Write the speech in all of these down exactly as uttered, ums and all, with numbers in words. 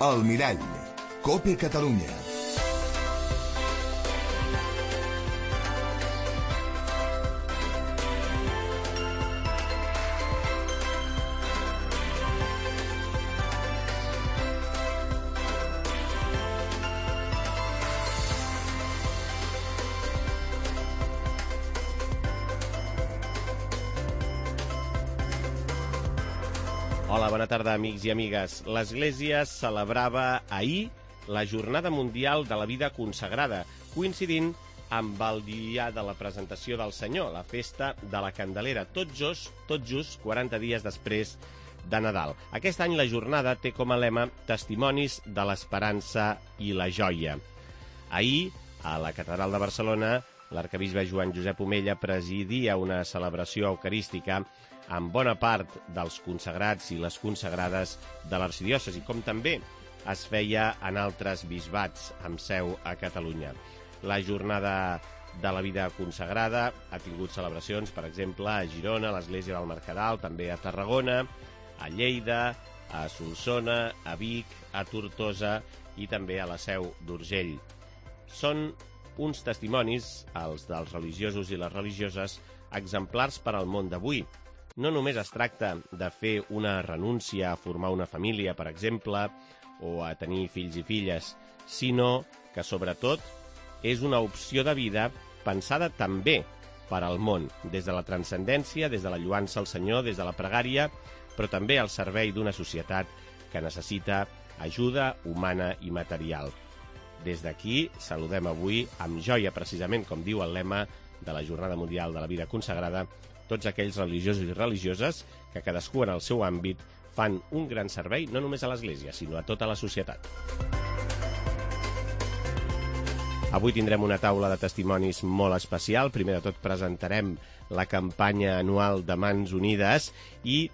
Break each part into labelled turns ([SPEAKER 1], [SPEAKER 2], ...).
[SPEAKER 1] El Mirall, COPE Catalunya.
[SPEAKER 2] Hola, bona tarda, amics i amigues. L'Església celebrava ahir la Jornada Mundial de la Vida Consagrada, coincidint amb el dia de la presentació del Senyor, la festa de la Candelera, tot just, tot just quaranta dies després de Nadal. Aquest any la jornada té com a lema Testimonis de l'Esperança i la Joia. Ahir, a la Catedral de Barcelona, l'arquebisbe Joan Josep Omella presidia una celebració eucarística amb bona part dels consagrats i les consagrades de l'arxidiòcesi, com també es feia en altres bisbats amb seu a Catalunya. La Jornada de la Vida Consagrada ha tingut celebracions, per exemple, a Girona, a l'Església del Mercadal, també a Tarragona, a Lleida, a Solsona, a Vic, a Tortosa i també a la Seu d'Urgell. Són uns testimonis, els dels religiosos i les religioses, exemplars per al món d'avui. No només es tracta de fer una renúncia a formar una família, per exemple, o a tenir fills i filles, sinó que, sobretot, és una opció de vida pensada també per al món, des de la transcendència, des de la lluança al Senyor, des de la pregària, però també al servei d'una societat que necessita ajuda humana i material. Des d'aquí saludem avui amb joia, precisament, com diu el lema de la Jornada Mundial de la Vida Consagrada, tots aquells religiosos i religioses que cadascú en el seu àmbit fan un gran servei no només a l'Església, sinó a tota la societat. Avui tindrem una taula de testimonis molt especial. Primer de tot presentarem la campanya anual de Mans Unides i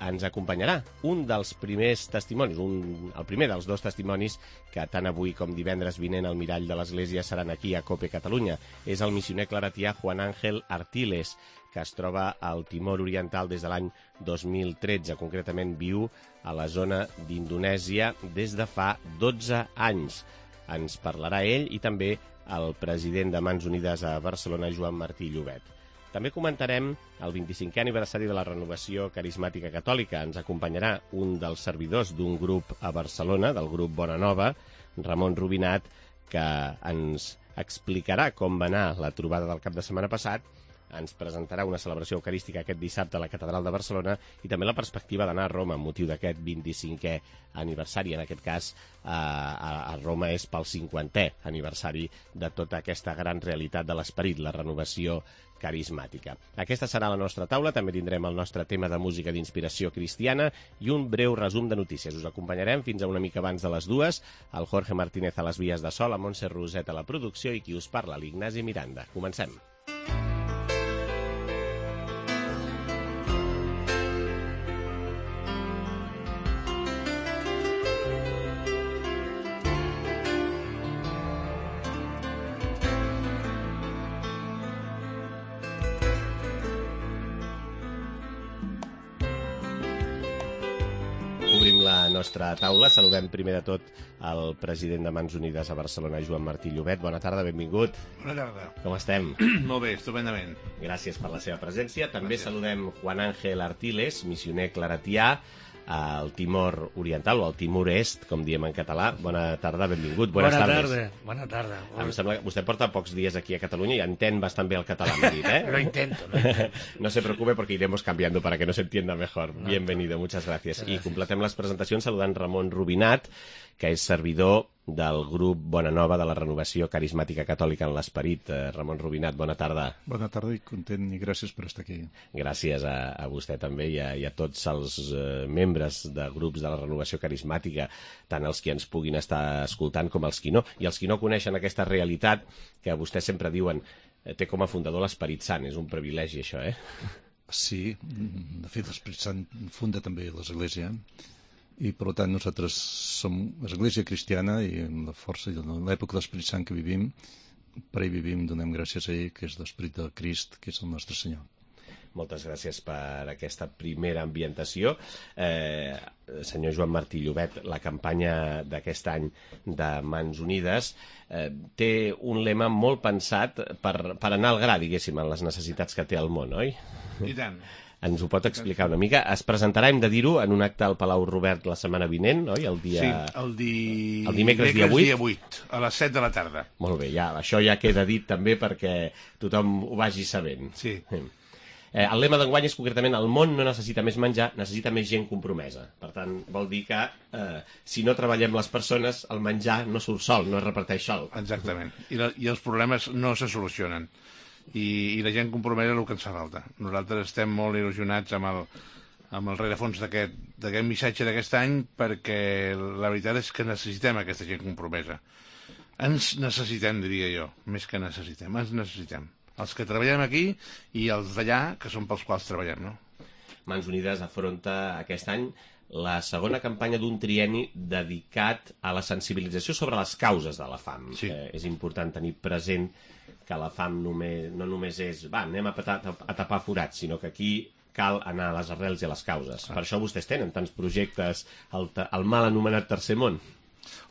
[SPEAKER 2] ens acompanyarà un dels primers testimonis, un, el primer dels dos testimonis que tant avui com divendres vinent al Mirall de l'Església seran aquí a COPE Catalunya. És el missioner claretià Juan Ángel Artiles, que es troba al Timor Oriental des de l'any dos mil tretze. Concretament viu a la zona d'Indonèsia des de fa dotze anys. Ens parlarà ell i també el president de Mans Unides a Barcelona, Joan Martí Llobet. També comentarem el vint-i-cinquè aniversari de la Renovació Carismàtica Catòlica. Ens acompanyarà un dels servidors d'un grup a Barcelona, del grup Bona Nova, Ramon Rubinat, que ens explicarà com va anar la trobada del cap de setmana passat, ens presentarà una celebració eucarística aquest dissabte a la Catedral de Barcelona i també la perspectiva d'anar a Roma amb motiu d'aquest vint-i-cinquè aniversari. En aquest cas, a, a Roma és pel cinquantè aniversari de tota aquesta gran realitat de l'esperit, la renovació carismàtica. Aquesta serà la nostra taula. També tindrem el nostre tema de música d'inspiració cristiana i un breu resum de notícies. Us acompanyarem fins a una mica abans de les dues, el Jorge Martínez a les vies de so, la Montse Roset a la producció i qui us parla, l'Ignasi Miranda. Comencem. Obrim la nostra taula. Saludem primer de tot el president de Mans Unides a Barcelona, Joan Martí Llobet. Bona tarda, benvingut.
[SPEAKER 3] Bona tarda.
[SPEAKER 2] Com estem?
[SPEAKER 3] Molt bé, estupendament.
[SPEAKER 2] Gràcies per la seva presència. També
[SPEAKER 3] Gràcies.
[SPEAKER 2] Saludem Juan Ángel Artiles, missioner claretià al Timor Oriental, o al Timor Est, com diem en català. Bona tarda, benvingut. Buenas
[SPEAKER 4] Bona
[SPEAKER 2] tardes.
[SPEAKER 4] tarda, bona tarda.
[SPEAKER 2] Em sembla que vostè porta pocs dies aquí a Catalunya i entén bastant bé el català, m'ha dit, eh?
[SPEAKER 4] Lo intento, lo intento.
[SPEAKER 2] No se preocupe porque iremos cambiando para que nos entienda mejor. Bienvenido, muchas gracias. I completem les presentacions saludant Ramon Rubinat, que és servidor del grup Bona Nova de la Renovació Carismàtica Catòlica en l'Esperit. Eh, Ramon Rubinat, bona tarda.
[SPEAKER 5] Bona tarda i content i gràcies per estar aquí.
[SPEAKER 2] Gràcies a, a vostè també i a, i a tots els eh, membres de grups de la Renovació Carismàtica, tant els que ens puguin estar escoltant com els qui no. I els qui no coneixen aquesta realitat que vostès sempre diuen eh, té com a fundador l'Esperit Sant. És un privilegi, això, eh?
[SPEAKER 5] Sí, de fet l'Esperit Sant funda també l'Església i per tant nosaltres som Església cristiana i amb la força i l'època de l'Esperit Sant que vivim, per ell vivim, donem gràcies a ell, que és l'Esperit del Crist, que és el nostre Senyor.
[SPEAKER 2] Moltes gràcies per aquesta primera ambientació. Eh, senyor Joan Martí Llobet, la campanya d'aquest any de Mans Unides eh, té un lema molt pensat per, per anar al gra, diguéssim, en les necessitats que té el món, oi?
[SPEAKER 3] I tant.
[SPEAKER 2] Ens ho pot explicar una mica? Es presentarà, hem de dir-ho, en un acte al Palau Robert la setmana vinent, oi? El dia...
[SPEAKER 3] Sí, el, di...
[SPEAKER 2] el dimecres, dia vuit.
[SPEAKER 3] dia vuit, a les set de la tarda.
[SPEAKER 2] Molt bé, ja, això ja queda dit també perquè tothom ho vagi sabent.
[SPEAKER 3] Sí.
[SPEAKER 2] Eh, el lema d'enguany és concretament el món no necessita més menjar, necessita més gent compromesa. Per tant, vol dir que eh, si no treballem les persones, el menjar no surt sol, no es reparteix sol.
[SPEAKER 3] Exactament. I, la, i els problemes no se solucionen. I, i la gent compromesa és el que ens fa falta. Nosaltres estem molt il·lusionats amb el, amb el rerefons d'aquest missatge d'aquest any, perquè la veritat és que necessitem aquesta gent compromesa. Ens necessitem, diria jo, més que necessitem, ens necessitem. Els que treballem aquí i els d'allà, que són pels quals treballem, no?
[SPEAKER 2] Mans Unides afronta aquest any la segona campanya d'un trienni dedicat a la sensibilització sobre les causes de la fam.
[SPEAKER 3] Sí.
[SPEAKER 2] Eh, és important tenir present que la fam només, no només és va, anem a, patar, a tapar forats, sinó que aquí cal anar a les arrels i a les causes. Ah. Per això vostès tenen tants projectes al, al mal anomenat Tercer Món.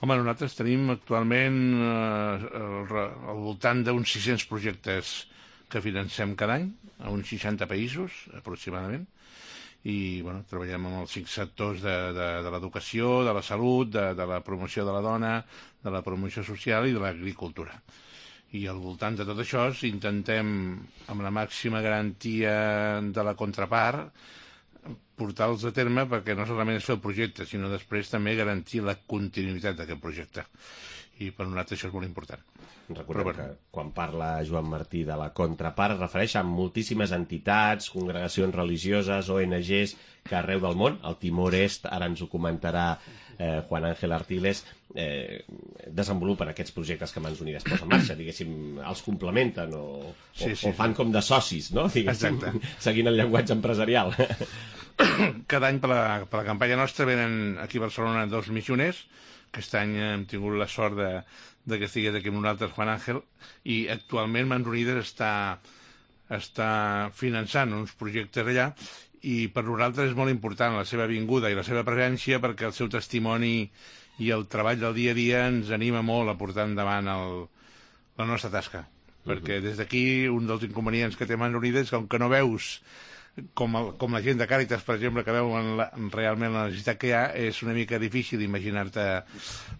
[SPEAKER 3] Home, nosaltres tenim actualment eh, al, al voltant d'uns sis-cents projectes que financem cada any, a uns seixanta països, aproximadament, i bueno, treballem amb els cinc sectors de, de, de l'educació, de la salut, de, de la promoció de la dona, de la promoció social i de l'agricultura. I al voltant de tot això intentem, amb la màxima garantia de la contrapart, portar-los a terme perquè no solament és fer el projecte, sinó després també garantir la continuïtat d'aquest projecte. I per nosaltres això és molt important.
[SPEAKER 2] Recordem Però, que quan parla Joan Martí de la contrapart es refereix a moltíssimes entitats, congregacions religioses, O N Ges que arreu del món, el Timor Est, ara ens ho comentarà eh, Juan Ángel Artiles, eh, desenvolupen aquests projectes que Mans Unides posa en marxa, diguéssim, els complementen o,
[SPEAKER 3] sí,
[SPEAKER 2] o,
[SPEAKER 3] sí,
[SPEAKER 2] o fan
[SPEAKER 3] sí.
[SPEAKER 2] com de socis, no? Diguéssim,
[SPEAKER 3] exacte.
[SPEAKER 2] Seguint el llenguatge empresarial.
[SPEAKER 3] Cada any per la, per la campanya nostra venen aquí a Barcelona dos missioners. Aquest any hem tingut la sort de, de que estigués aquí amb nosaltres Juan Ángel, i actualment Mans Unides està, està finançant uns projectes allà, i per nosaltres és molt important la seva vinguda i la seva presència, perquè el seu testimoni i el treball del dia a dia ens anima molt a portar endavant el, la nostra tasca. Uh-huh. Perquè des d'aquí un dels inconvenients que té Mans Unides és que, com que no veus com, el, com la gent de Càritas, per exemple, que veuen la, realment la necessitat que hi ha, és una mica difícil imaginar-te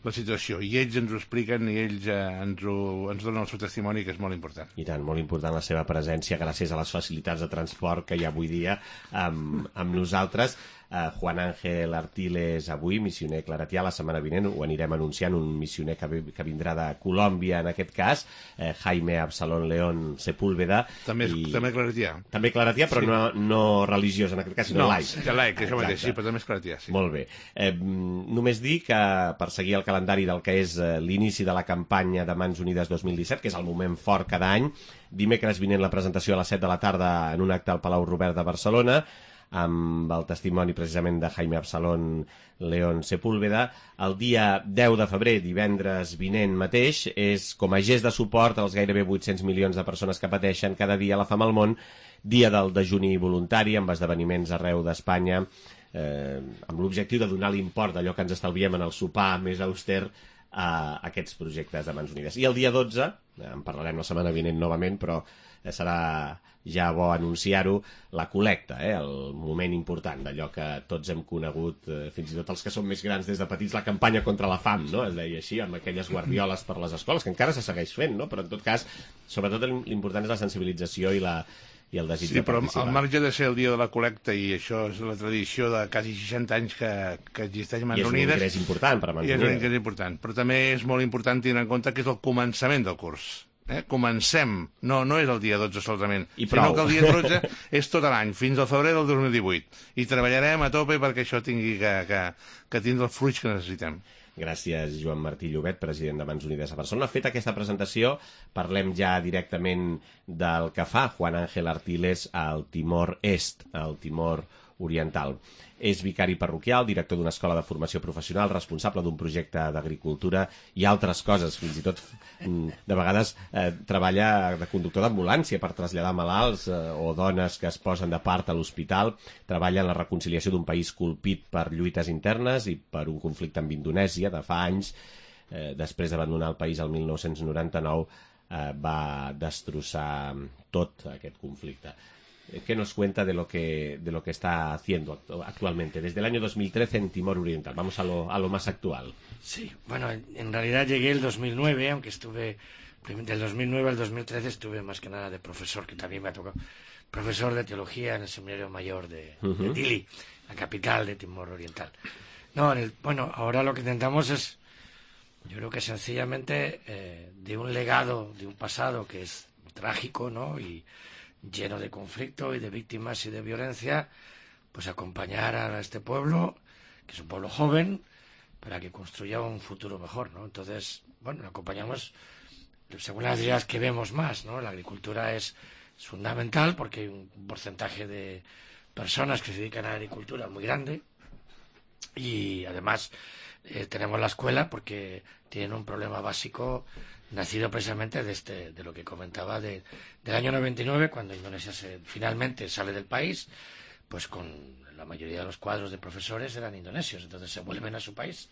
[SPEAKER 3] la situació. I ells ens ho expliquen i ells eh, ens, ho, ens donen el seu testimoni, que és molt important.
[SPEAKER 2] I tant, molt important la seva presència gràcies a les facilitats de transport que hi ha avui dia amb, amb nosaltres. Uh, Juan Ángel Artiles avui, missioner claretià, la setmana vinent ho anirem anunciant, un missioner que, que vindrà de Colòmbia en aquest cas, eh, Jaime Absalón León Sepúlveda.
[SPEAKER 3] També, i... també claretià.
[SPEAKER 2] També claretià, però sí. no, no religiós en aquest cas, sinó
[SPEAKER 3] no,
[SPEAKER 2] laic.
[SPEAKER 3] No, laic, això mateix, sí, però també és claretià. Sí.
[SPEAKER 2] Molt bé. Eh, només dir que per seguir el calendari del que és eh, l'inici de la campanya de Mans Unides dos mil disset, que és el moment fort cada any, dimecres vinent la presentació a les set de la tarda en un acte al Palau Robert de Barcelona, amb el testimoni precisament de Jaime Absalón León Sepúlveda. El dia deu de febrer, divendres vinent mateix, és com a gest de suport als gairebé vuit-cents milions de persones que pateixen cada dia la fam al món, dia del dejuni voluntari, amb esdeveniments arreu d'Espanya, eh, amb l'objectiu de donar l'import d'allò que ens estalviem en el sopar més auster a aquests projectes de Mans Unides. I el dia dotze, en parlarem la setmana vinent novament, però serà ja bo anunciar-ho, la col·lecta, eh? El moment important d'allò que tots hem conegut, eh, fins i tot els que són més grans des de petits, la campanya contra la fam, no? Es deia així, amb aquelles guardioles per les escoles, que encara se segueix fent, no? Però en tot cas, sobretot l'important és la sensibilització i la i el desig
[SPEAKER 3] sí,
[SPEAKER 2] de participar.
[SPEAKER 3] Sí, però al marge de ser el dia de la col·lecta, i això és la tradició de quasi seixanta anys que, que existeix Mans Unides...
[SPEAKER 2] I és un ingrés important per a Mans Unides.
[SPEAKER 3] I és un ingrés important, però també és molt important tenir en compte que és el començament del curs. Eh? Comencem, no, no és el dia dotze solament,
[SPEAKER 2] I prou.
[SPEAKER 3] sinó que el dia dotze és tot l'any, fins al febrer del dos mil divuit. I treballarem a tope perquè això tingui que, que, que tindre els fruits que necessitem.
[SPEAKER 2] Gràcies, Joan Martí Llobet, president de Mans Unides a Barcelona. Feta aquesta presentació, parlem ja directament del que fa Juan Ángel Artiles al Timor Est, al Timor Oriental. És vicari parroquial, director d'una escola de formació professional, responsable d'un projecte d'agricultura i altres coses. Fins i tot, de vegades, eh, treballa de conductor d'ambulància per traslladar malalts eh, o dones que es posen de part a l'hospital. Treballa en la reconciliació d'un país colpit per lluites internes i per un conflicte amb Indonèsia de fa anys. Eh, després d'abandonar el país el mil nou-cents noranta-nou, eh, va destrossar tot aquest conflicte. ¿Qué nos cuenta de lo que, de lo que está haciendo actualmente, desde el año dos mil trece en Timor Oriental? Vamos a lo, a lo más actual.
[SPEAKER 4] Sí, bueno, en realidad llegué el dos mil nueve, aunque estuve, del dos mil nueve al dos mil trece estuve más que nada de profesor, que también me ha tocado, profesor de teología en el Seminario Mayor de, uh-huh. de Dili, la capital de Timor Oriental. No, en el, bueno, ahora lo que intentamos es, yo creo que sencillamente eh, de un legado, de un pasado que es trágico, ¿no?, y lleno de conflicto y de víctimas y de violencia, pues acompañar a este pueblo, que es un pueblo joven, para que construya un futuro mejor, ¿no? Entonces, bueno, acompañamos según las ideas que vemos más, ¿no? La agricultura es, es fundamental porque hay un porcentaje de personas que se dedican a la agricultura muy grande y además eh, tenemos la escuela porque tienen un problema básico nacido precisamente de este de lo que comentaba de, del año noventa y nueve, cuando Indonesia se, finalmente sale del país, pues con la mayoría de los cuadros de profesores eran indonesios, entonces se vuelven a su país.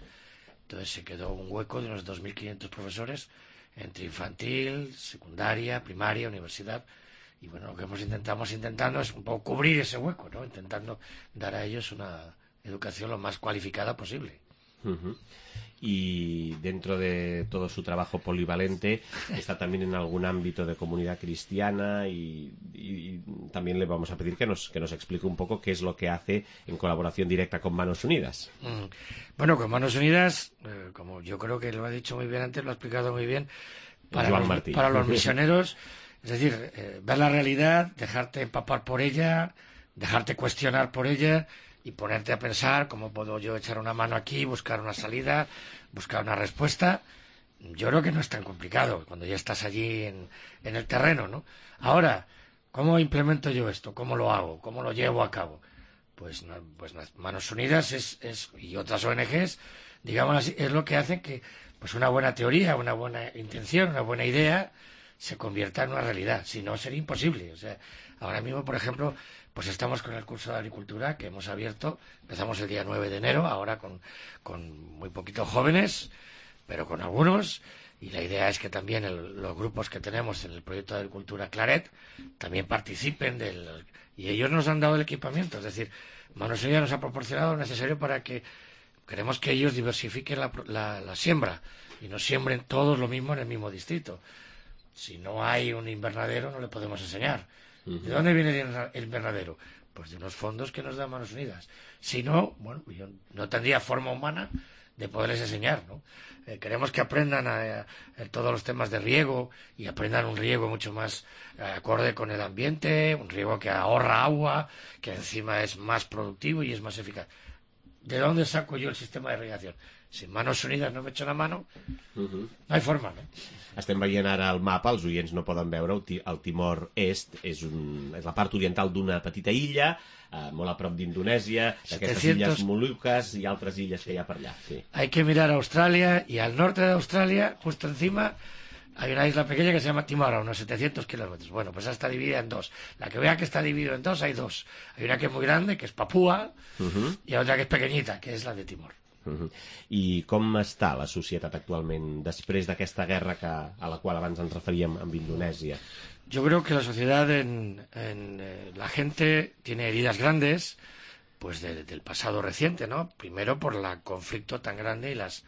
[SPEAKER 4] Entonces se quedó un hueco de unos dos mil quinientos profesores entre infantil, secundaria, primaria, universidad, y bueno, lo que hemos intentamos intentando es un poco cubrir ese hueco, ¿no? Intentando dar a ellos una educación lo más cualificada posible.
[SPEAKER 2] Uh-huh. Y dentro de todo su trabajo polivalente está también en algún ámbito de comunidad cristiana y, y, y también le vamos a pedir que nos, que nos explique un poco qué es lo que hace en colaboración directa con Manos Unidas.
[SPEAKER 4] Mm. Bueno, con Manos Unidas, eh, como yo creo que lo ha dicho muy bien antes, lo ha explicado muy bien, para, los, para los misioneros, es decir, eh, ver la realidad, dejarte empapar por ella, dejarte cuestionar por ella y ponerte a pensar cómo puedo yo echar una mano aquí, buscar una salida, buscar una respuesta. Yo creo que no es tan complicado cuando ya estás allí en, en el terreno, ¿no? Ahora, ¿cómo implemento yo esto? ¿Cómo lo hago? ¿Cómo lo llevo a cabo? Pues, pues Manos Unidas es, es, y otras O N Ges, digamos así, es lo que hace que pues una buena teoría, una buena intención, una buena idea se convierta en una realidad. Si no, sería imposible. O sea, ahora mismo, por ejemplo, pues estamos con el curso de agricultura que hemos abierto, empezamos el día nueve de enero, ahora con, con muy poquitos jóvenes, pero con algunos, y la idea es que también el, los grupos que tenemos en el proyecto de agricultura Claret también participen del, y ellos nos han dado el equipamiento, es decir, Manos Unidas nos ha proporcionado lo necesario para que queremos que ellos diversifiquen la, la, la siembra y no siembren todos lo mismo en el mismo distrito. Si no hay un invernadero no le podemos enseñar. ¿De dónde viene el invernadero? Pues de unos fondos que nos da Manos Unidas. Si no, bueno, yo no tendría forma humana de poderles enseñar, ¿no? Eh, queremos que aprendan a, a, a todos los temas de riego y aprendan un riego mucho más eh, acorde con el ambiente, un riego que ahorra agua, que encima es más productivo y es más eficaz. ¿De dónde saco yo el sistema de irrigación? Si Manos Unidas no m'echa una mano, uh-huh. no hi forma, no?
[SPEAKER 2] Estem veient ara el mapa, els oients no poden veure, el Timor Est és, un, és la part oriental d'una petita illa, eh, molt a prop d'Indonèsia, d'aquestes
[SPEAKER 4] setecientos...
[SPEAKER 2] illes Molucas i altres illes que hi ha per allà. Sí.
[SPEAKER 4] Hay que mirar a Australia, y al norte de Australia, justo encima, hay una isla pequeña que se llama Timor, a unos setecientos kilómetros. Bueno, pues esa está dividida en dos. La que vea que está dividida en dos, hay dos. Hay una que es muy grande, que es Papúa, uh-huh. y otra que es pequeñita, que es la de Timor.
[SPEAKER 2] Uh-huh. I com està la societat actualment després d'aquesta guerra que, a la qual abans ens referíem amb Indonèsia?
[SPEAKER 4] Yo creo que la sociedad, en, en eh, la gente tiene heridas grandes, pues de, del pasado reciente, ¿no? Primero por el conflicto tan grande y las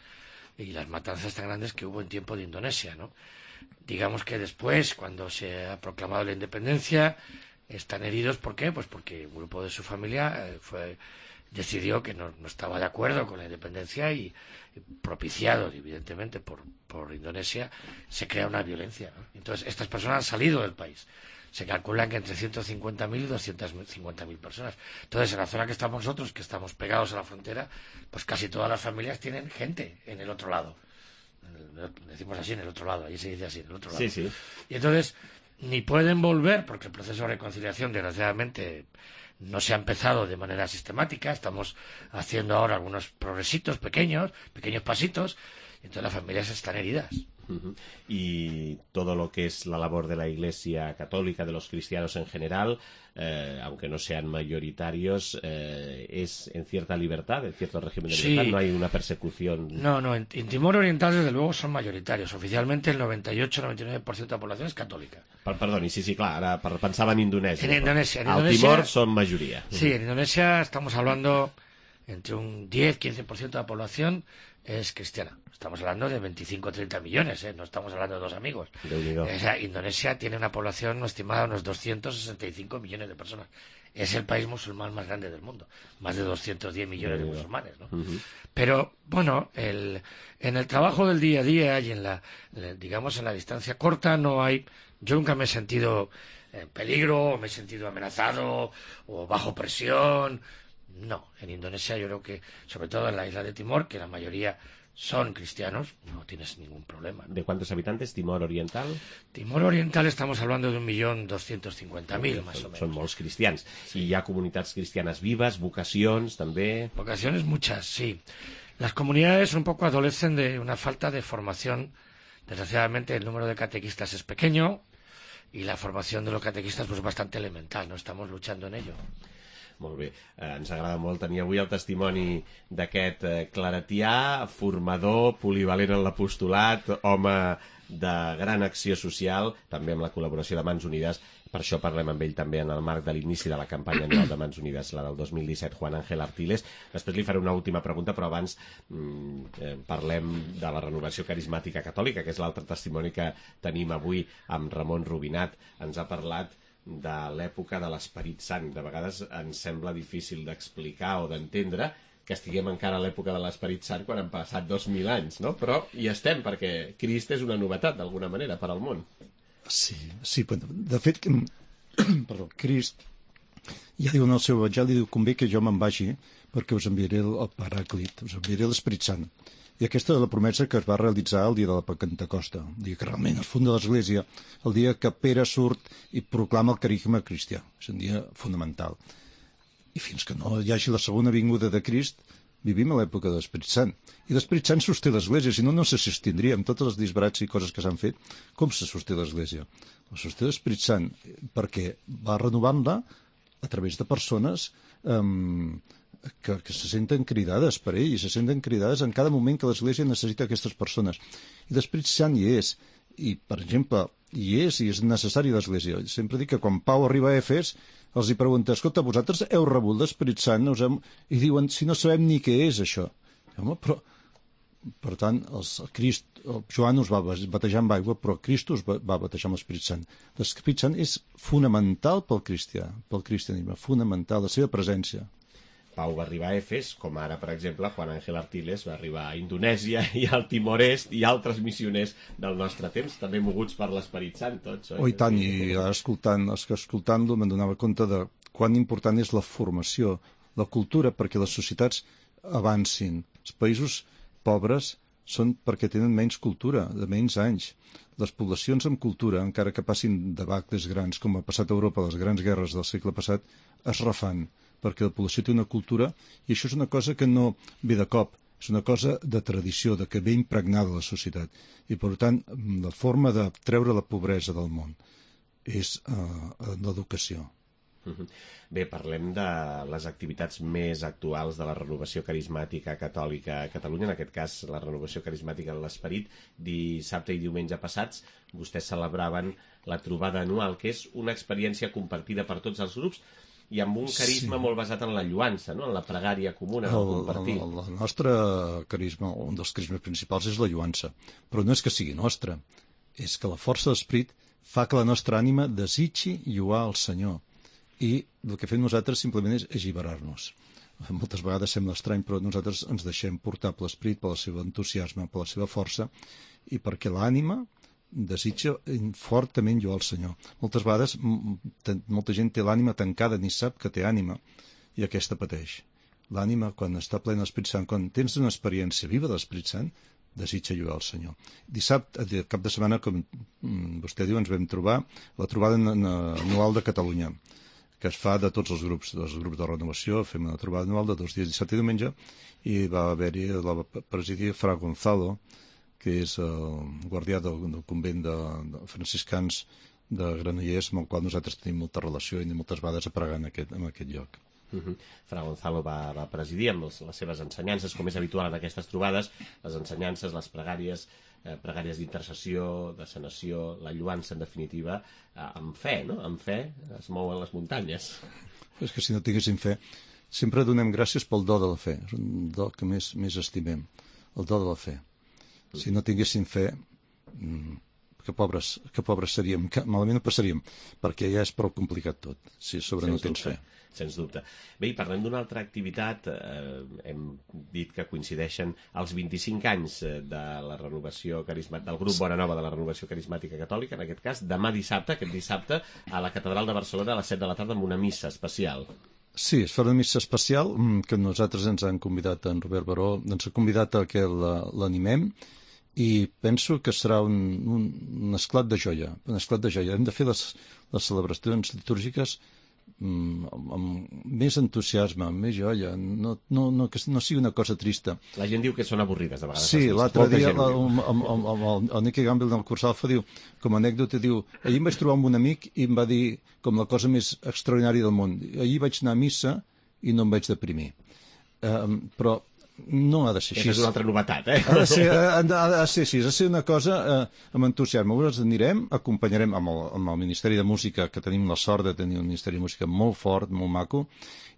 [SPEAKER 4] y las matanzas tan grandes que hubo en tiempo de Indonesia, ¿no? Digamos que después, cuando se ha proclamado la independencia, están heridos. ¿Por qué? Pues porque un grupo de su familia eh, fue decidió que no, no estaba de acuerdo con la independencia y, y propiciado, evidentemente, por, por Indonesia, se crea una violencia, ¿no? Entonces, estas personas han salido del país. Se calculan que entre ciento cincuenta mil y doscientas cincuenta mil personas. Entonces, en la zona que estamos nosotros, que estamos pegados a la frontera, pues casi todas las familias tienen gente en el otro lado. Decimos así, en el otro lado, allí se dice así, en el otro lado.
[SPEAKER 2] Sí, sí.
[SPEAKER 4] Y entonces, ni pueden volver, porque el proceso de reconciliación, desgraciadamente, no se ha empezado de manera sistemática, estamos haciendo ahora algunos progresitos pequeños, pequeños pasitos, y entonces las familias están heridas.
[SPEAKER 2] Uh-huh. Y todo lo que es la labor de la Iglesia Católica, de los cristianos en general, eh, aunque no sean mayoritarios, eh, es en cierta libertad, en cierto régimen de libertad,
[SPEAKER 4] sí.
[SPEAKER 2] No hay una persecución.
[SPEAKER 4] No, no, en, en Timor Oriental desde luego son mayoritarios. Oficialmente el noventa y ocho a noventa y nueve por ciento de la población es católica.
[SPEAKER 2] Per, perdoni, sí, sí, clar, ara pensava en Indonèsia.
[SPEAKER 4] En Indonesia. En
[SPEAKER 2] Al
[SPEAKER 4] Indonesia,
[SPEAKER 2] Timor son mayoría.
[SPEAKER 4] Sí, en Indonesia estamos hablando entre un diez a quince por ciento de la población es cristiana. Estamos hablando de veinticinco a treinta millones, ¿eh? No estamos hablando de dos amigos. O sea, Indonesia tiene una población estimada de unos doscientos sesenta y cinco millones de personas. Es el país musulmán más grande del mundo. Más de doscientos diez millones de musulmanes, ¿no? Uh-huh. Pero, bueno, el, en el trabajo del día a día y en la, digamos, en la distancia corta no hay... Yo nunca me he sentido en peligro, o me he sentido amenazado, o bajo presión... No, en Indonesia yo creo que, sobre todo en la isla de Timor, que la mayoría son cristianos, no tienes ningún problema, ¿no?
[SPEAKER 2] ¿De cuántos habitantes Timor Oriental?
[SPEAKER 4] Timor Oriental estamos hablando de un millón doscientos cincuenta mil, más o menos.
[SPEAKER 2] Són molts cristians. Sí. I hi ha comunitats cristianes vives, vocacions, també...
[SPEAKER 4] Vocaciones muchas, sí. Las comunidades un poco adolecen de una falta de formación. Desgraciadamente el número de catequistas es pequeño y la formación de los catequistas pues bastante elemental, no estamos luchando en ello.
[SPEAKER 2] Molt bé, eh, ens agrada molt tenir avui el testimoni d'aquest eh, claretià, formador, polivalent en l'apostolat, home de gran acció social, també amb la col·laboració de Mans Unides. Per això parlem amb ell també en el marc de l'inici de la campanya anual de Mans Unides, la del dos mil disset, Juan Ángel Artiles. Després li faré una última pregunta, però abans mm, eh, parlem de la renovació carismàtica catòlica, que és l'altre testimoni que tenim avui amb Ramon Rubinat. Ens ha parlat de l'època de l'Esperit Sant. De vegades ens sembla difícil d'explicar o d'entendre que estiguem encara a l'època de l'Esperit Sant quan han passat dos mil anys, no? Però hi estem, perquè Crist és una novetat, d'alguna manera, per al món.
[SPEAKER 5] Sí, sí, de fet, perdó, Crist ja diu en el seu evangeli, diu, convé que jo me'n vagi perquè us enviaré el Paràclit, us enviaré l'Esperit Sant. I aquesta és la promesa que es va realitzar el dia de la Pentecosta, el dia que realment es funda l'Església, el dia que Pere surt i proclama el carisma cristià. És un dia fonamental. I fins que no hi hagi la segona vinguda de Crist, vivim a l'època de l'Esperit Sant. I l'Esperit Sant sosté l'Església, si no, no se sostindria amb tots els disbarats i coses que s'han fet. Com se sosté l'Església? La sosté l'Esperit Sant perquè va renovant-la a través de persones eh, Que, que se senten cridades per ell i se senten cridades en cada moment que l'Església necessita aquestes persones. I l'Esperit Sant hi és. I, per exemple, hi és i és necessari l'Església. Sempre dic que quan Pau arriba a Efes els hi pregunta, escolta, vosaltres heu rebut l'Esperit Sant? Us hem... I diuen, si no sabem ni què és això. Home, però... Per tant, els, el Crist, el Joan us va batejar amb aigua, però Crist us va, va batejar amb l'Esperit Sant. L'Esperit Sant és fonamental pel cristià, pel cristianisme, fonamental, la seva presència.
[SPEAKER 2] Pau va arribar a Efes, com ara, per exemple, Juan Ángel Artiles va arribar a Indonèsia i al Timor-Est i altres missioners del nostre temps, també moguts per l'Esperit Sant, tots.
[SPEAKER 5] Oh, i tant, i escoltant, escoltant-lo me'n donava compte de quan important és la formació, la cultura, perquè les societats avancin. Els països pobres són perquè tenen menys cultura, de menys anys. Les poblacions amb cultura, encara que passin debacles grans, com ha passat a Europa, les grans guerres del segle passat, es refan, perquè la població té una cultura, i això és una cosa que no ve de cop, és una cosa de tradició, de que ve impregnada a la societat. I, per tant, la forma de treure la pobresa del món és uh, l'educació.
[SPEAKER 2] Bé, parlem de les activitats més actuals de la renovació carismàtica catòlica a Catalunya, en aquest cas la renovació carismàtica de l'Esperit. Dissabte i diumenge passats vostès celebraven la trobada anual, que és una experiència compartida per tots els grups i amb un carisma sí. molt basat en la lluança, no? En la pregària comuna, en el compartir.
[SPEAKER 5] El, el, el nostre carisma, un dels carismes principals és la lluança, però no és que sigui nostre, és que la força de l'Esperit fa que la nostra ànima desitgi lluar al Senyor. I el que fem nosaltres simplement és alliberar-nos. Moltes vegades sembla estrany, però nosaltres ens deixem portar per l'Esperit, per el seu entusiasme, per la seva força, i perquè l'ànima desitja fortament lluar al Senyor. Moltes vegades molta gent té l'ànima tancada, ni sap que té ànima, i aquesta pateix. L'ànima, quan està plena d'Esperit Sant, quan tens una experiència viva de l'Esperit Sant, desitja lluar al Senyor. Dissabte, el cap de setmana, com vostè diu, ens vam trobar la trobada anual de Catalunya, que es fa de tots els grups, dels grups de renovació. Fem una trobada anual de dos dies, dissabte i diumenge, i va haver-hi, la va presidir Fra Gonzalo, que és el guardià del, del convent de, de franciscans de Granollers, amb el qual nosaltres tenim molta relació i anem moltes vegades a pregar en aquest, en aquest lloc.
[SPEAKER 2] Uh -huh. Fra Gonzalo va, va presidir amb les, les seves ensenyances, com és habitual en aquestes trobades, les ensenyances, les pregàries, eh, pregàries d'intercessió, de sanació, la lluança, en definitiva, eh, amb fe, no? Amb fe es mouen les muntanyes.
[SPEAKER 5] És que si no tinguéssim fe, sempre donem gràcies pel do de la fe, és un do que més, més estimem, el do de la fe. Si no tinguéssim fe, que pobres, que pobres seríem, que malament ho passaríem, perquè ja és prou complicat tot, si sobre no tens fe.
[SPEAKER 2] Sens dubte. Bé, i parlem d'una altra activitat, eh, hem dit que coincideixen els vint-i-cinc anys de la renovació carismàtica, del grup Bona Nova de la Renovació Carismàtica Catòlica, en aquest cas, demà dissabte, aquest dissabte, a la Catedral de Barcelona a les set de la tarda amb una missa especial.
[SPEAKER 5] Sí, es fa una missa especial que nosaltres ens han convidat, en Robert Baró, ens ha convidat a que l'animem, i penso que serà un, un, un esclat de joia, un esclat de joia. Hem de fer les, les celebracions litúrgiques amb, amb més entusiasme, amb més joia, no, no, no, que no sigui una cosa trista.
[SPEAKER 2] La gent diu que són avorrides, de vegades.
[SPEAKER 5] Sí, l'altre dia la, amb, amb, amb, amb el Nicky Gamble del Curs Alfa diu, com a anècdota, diu, ahir em vaig trobar amb un amic i em va dir com la cosa més extraordinària del món. Ahir vaig anar a missa i no em vaig deprimir. Um, però no ha de ser així.
[SPEAKER 2] Aquesta és una altra novetat, eh?
[SPEAKER 5] Ha de ser, ha de, ha de ser així, ha de ser una cosa eh, amb entusiasme. Nosaltres anirem, acompanyarem amb el, amb el Ministeri de Música, que tenim la sort de tenir un Ministeri de Música molt fort, molt maco,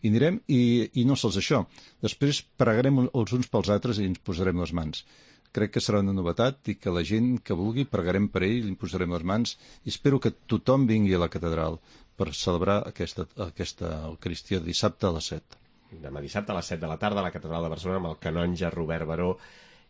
[SPEAKER 5] i anirem, i, i no sols això. Després pregarem els uns pels altres i ens posarem les mans. Crec que serà una novetat i que la gent que vulgui pregarem per ell, li posarem les mans, i espero que tothom vingui a la catedral per celebrar aquesta, aquesta Eucaristia dissabte a les set.
[SPEAKER 2] Demà dissabte a les set de la tarda a la Catedral de Barcelona amb el canonge Robert Baró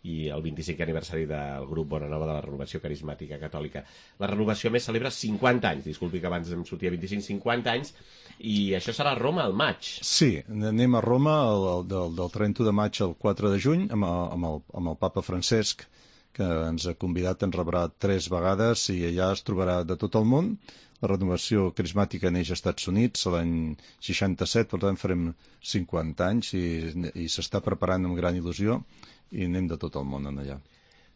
[SPEAKER 2] i el vint-i-cinquè aniversari del grup Bona Nova de la Renovació Carismàtica Catòlica. La renovació més celebra cinquanta anys, disculpi que abans em sortia vint-i-cinc, cinquanta anys, i això serà a Roma al maig.
[SPEAKER 5] Sí, anem a Roma el, el, del, del trenta de maig al quatre de juny amb, amb, el, amb el papa Francesc, que ens ha convidat, ens rebrà tres vegades i allà es trobarà de tot el món. La renovació carismàtica neix als Estats Units l'any seixanta-set, per tant farem cinquanta anys i, i s'està preparant amb gran il·lusió i anem de tot el món en allà.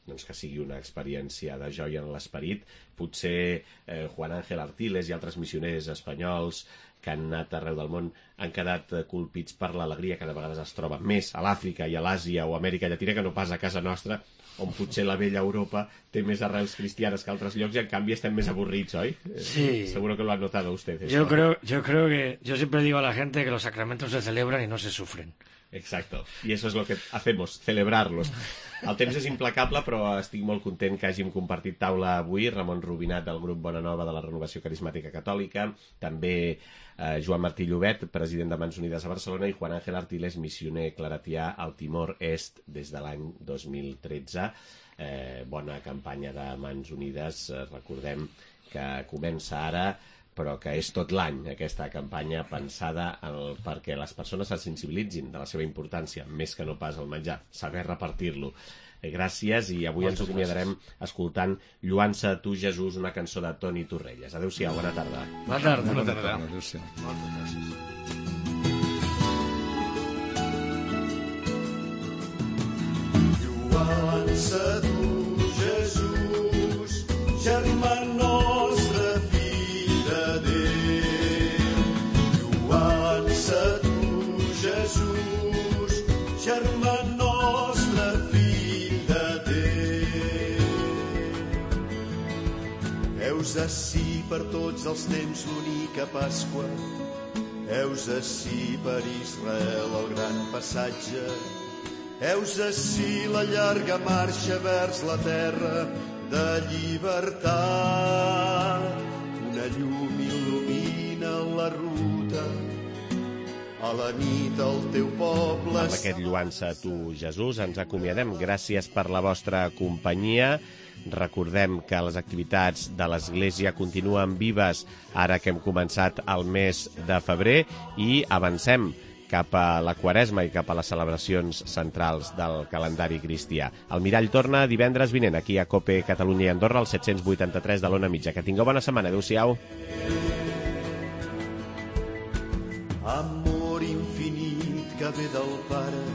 [SPEAKER 2] Doncs que sigui una experiència de joia en l'esperit. Potser eh, Juan Ángel Artiles i altres missioners espanyols que han anat arreu del món han quedat eh, colpits per l'alegria que de vegades es troba més a l'Àfrica i a l'Àsia o a Amèrica Llatina que no pas a casa nostra, on potser la vella Europa té més arrels cristianes que altres llocs y en cambio estén més aburrits, ¿hoy?
[SPEAKER 4] Sí.
[SPEAKER 2] Eh, seguro que lo han notado ustedes.
[SPEAKER 4] Yo creo, yo creo que, yo siempre digo a la gente que los sacramentos se celebran y no se sufren.
[SPEAKER 2] Exacto, y eso es lo que hacemos, celebrarlos. El temps és implacable, però estic molt content que hàgim compartit taula avui. Ramon Rubinat, del grup Bona Nova de la Renovació Carismàtica Catòlica, també eh, Joan Martí Llobet, president de Mans Unides a Barcelona, i Juan Ángel Artiles, missioner claretià al Timor Est des de l'any dos mil tretze. Eh, bona campanya de Mans Unides, eh, recordem que comença ara, però que és tot l'any aquesta campanya pensada el, perquè les persones se sensibilitzin de la seva importància, més que no pas el menjar, saber repartir-lo. Eh, gràcies, i avui Moltes ens acomiadarem gràcies. escoltant Lluança a tu, Jesús, una cançó de Toni Torrelles. Adéu-siau, bona tarda.
[SPEAKER 4] Bona tarda.
[SPEAKER 5] Bona tarda. Adéu-siau. Moltes gràcies.
[SPEAKER 6] Lluança a tu, Jesús, germà nostre, Jesús, germà nostre, fill de Déu. Heus ací per tots els temps l'única Pasqua, heus ací per Israel el gran passatge, heus ací la llarga marxa vers la terra de llibertat. Una llum il·lumina la ruta, a la nit el teu poble...
[SPEAKER 2] Amb aquest Lluança a tu, Jesús, ens acomiadem. Gràcies per la vostra companyia. Recordem que les activitats de l'Església continuen vives ara que hem començat el mes de febrer i avancem cap a la Quaresma i cap a les celebracions centrals del calendari cristià. El Mirall torna divendres vinent aquí a COPE Catalunya i Andorra, al set cents vuitanta-tres de l'Ona Mitja. Que tingueu bona setmana. Adéu-siau.
[SPEAKER 6] amor infinit que ve del Pare,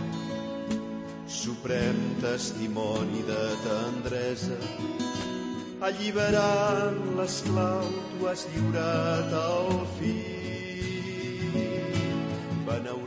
[SPEAKER 6] suprem testimoni de tendresa, alliberant l'esclau tu has lliurat al fill. Beneu